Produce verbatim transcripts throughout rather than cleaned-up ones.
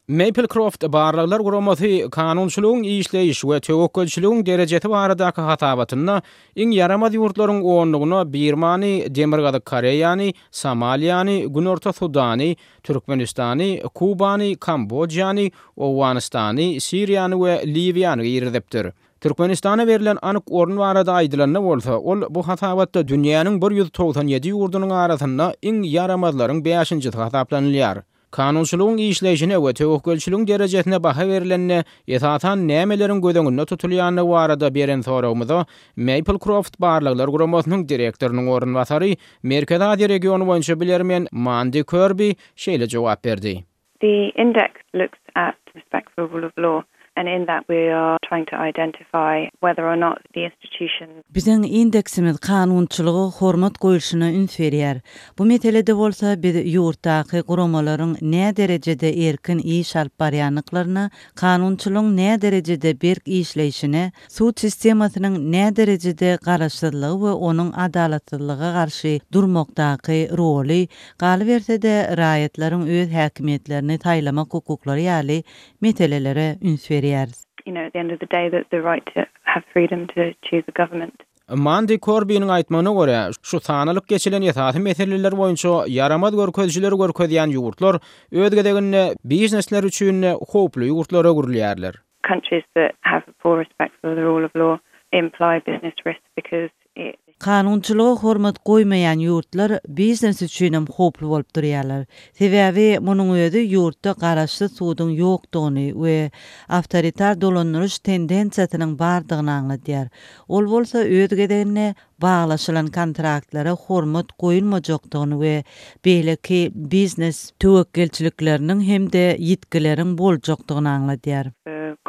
Maplecroft barlaglar guramasy kanunçylygyň işleýiş we töwekgelçiligiň derejesi baradaky hasabatynda iň ýaramaz ýurtlaryň onlugyna Birmany, Demirgazyk Koreýany, Somaliýany, Günorta Sudany, Türkmenistany, Kubany, Kambojany, Owganystany, Siriýany we Liwiýany girizipdir. Türkmenistana berlen anyk orun barada aýdylanda bolsa, ol bu hasabatda dünýäniň bir ýüz togsan ýedi ýurdunyň arasynda iň ýaramazlaryň bäşinjisi hasaplanylýar. Kanunçylygyň işleýşine we töwekgelçiligiň derejesine baha berilende esasan nämeleriň göz öňünde tutulýandygy barada beren soragymyza Maplecroft barlaglar guramasynyň direktorynyň orunbasary Merkezi Aziýa regiony boýunça bilermen Mandy Kirby şeýle jogap berdi. The index looks at respect for rule of law, and in that we are trying to identify whether or not the institutions Biziň indeksimiz kanunçylyga hormat goýulşyna üns berýär. Bu meselede bolsa biz ýurtdaky guramalaryň nä derejede erkin iş alyp barýandyklaryna, kanunçylygyň nä derejede berk işleýşine, sud sistemasynyň nä derejede garaşsyzlygy we onuň adalatsyzlyga garşy durmakdaky roly, galyberse-de raýatlaryň öz häkimiýetlerini saýlamak hukuklary ýaly meselelere üns berýäris. You know, at the end of the day, that the right to have freedom to choose a government. Mandy Kirbynyň aýtmagyna görä, şu sanalyp geçilen esasy meseleler boýunça ýaramaz görkezijileri görkezýän ýurtlar öz gezeginde biznesler üçin howply ýurtlara öwrülýärler. Countries that have poor respect for the rule of law imply business risk because it Kanunçylyga hormat goýmaýan ýurtlar biznes üçin hem howply bolup durýarlar. Sebäbi munuň özi ýurtda garaşsyz suduň ýokdugyny we awtoritar dolandyryş tendensiýasynyň bardygyny aňladýar. Ol bolsa öz gezeginde baglaşylan kontraktlara hormat goýulmajakdygyny we beýleki biznes töwekgelçilikleriniň hem-de ýitgileriň boljakdygyny aňladýar.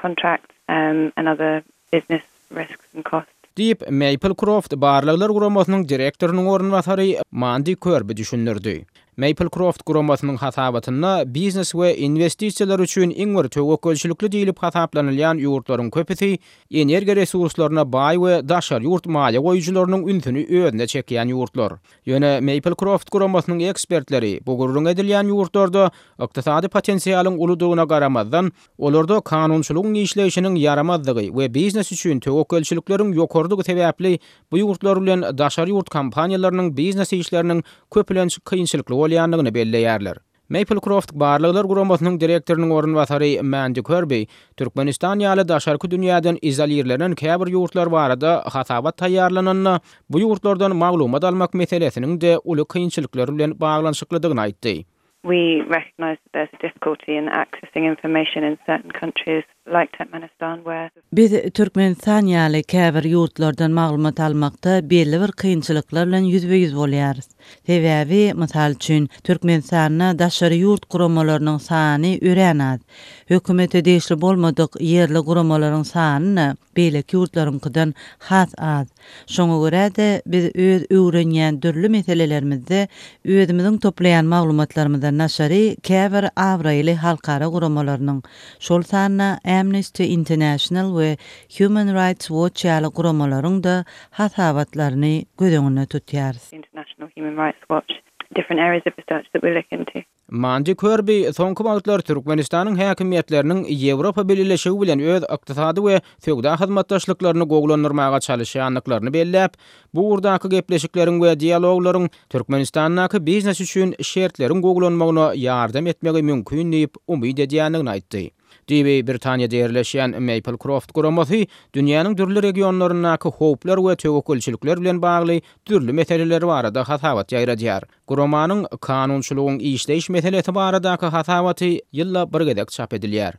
Contracts um, and other business risks and costs. Diýip Maplecroft barlaglar guramasynyň direktorynyň orunbasary Mandy Kirby düşündirdi. Maplecroft guramasynyň hasabatynda biznes we inwestisiýalar üçin iň bir töwekgelçilikli diýlip hasaplanylýan ýurtlaryň köpüsi energiýa resurslaryna baý we daşary ýurt maliýe goýujylarynyň ünsüni özüne çekýän ýurtlar. Ýöne Maplecroft guramasynyň ekspertleri bu gürrüň edilýän ýurtlarda ykdysady potensialyň uludygyna garamazdan, olarda kanunçylygyň işleýşiniň ýaramazdygy we biznes üçin töwekgelçilikleriň ýokarydygy sebäpli bu ýurtlar bilen daşary ýurt kompaniýalarynyň biznes işleriniň köplenç kynçylykly bolýandygyny belleýärler. Maplecroft barlaglar guramasynyň direktorynyň orunbasary Mandy Kirby Türkmenistan ýaly daşarky dünýäden izolirlenen käbir ýurtlar barada hasabat taýýarlananda bu ýurtlardan maglumat almak meselesiniň de uly kynçylyklar bilen baglanyşyklydygyny aýtdy. We recognize that there's a difficulty in accessing information in certain countries like Turkmenistan where Biz Türkmenistan ýaly käbir ýurtlardan maglumat almakda belli bir kynçylyklar bilen ýüzbe-ýüz bolýarys. Sebäbi, mysal üçin, Türkmenistanda daşary ýurt guramalarynyň sany örän az. Hökümete degişli bolmadyk ýerli guramalaryň sany beýleki ýurtlaryňkydan has az. Şoňa görä-de biz öz öwrenýän dürli meselelerimizde özümiziň toplaýan maglumatlarymyzdan daşary käbir abraýly halkara guramalarynyň, şol sanda Amnesty International we Human Rights Watch ýaly guramalaryň da hasabatlaryny göz öňünde tutýarys. International Human Rights Watch, different areas of research that we look into. Mandy Kirby soňky wagtlar Türkmenistanyň häkimiýetleriniň Ýewropa Bileleşigi bilen öz ykdysady we söwda hyzmatdaşlyklaryny gowulandyrmaga çalışýandyklaryny belläp, bu ugurdaky gepleşikleriň we dialoglaryň Türkmenistandaky biznes üçin şertleriň gowulanmagyna ýardam etmegi mümkin diýip umyt edýändigini aýtdy. Düýbi Britaniýada ýerleşýän Maplecroft guramasy dünýäniň dürli regionlaryndaky howplar we töwekgelçilikler bilen bagly dürli meseleler barada hasabat ýaýradýar. Guramanyň kanunçylygyň işleýiş meselesi baradaky hasabaty ýylda bir gezek çap edilýär.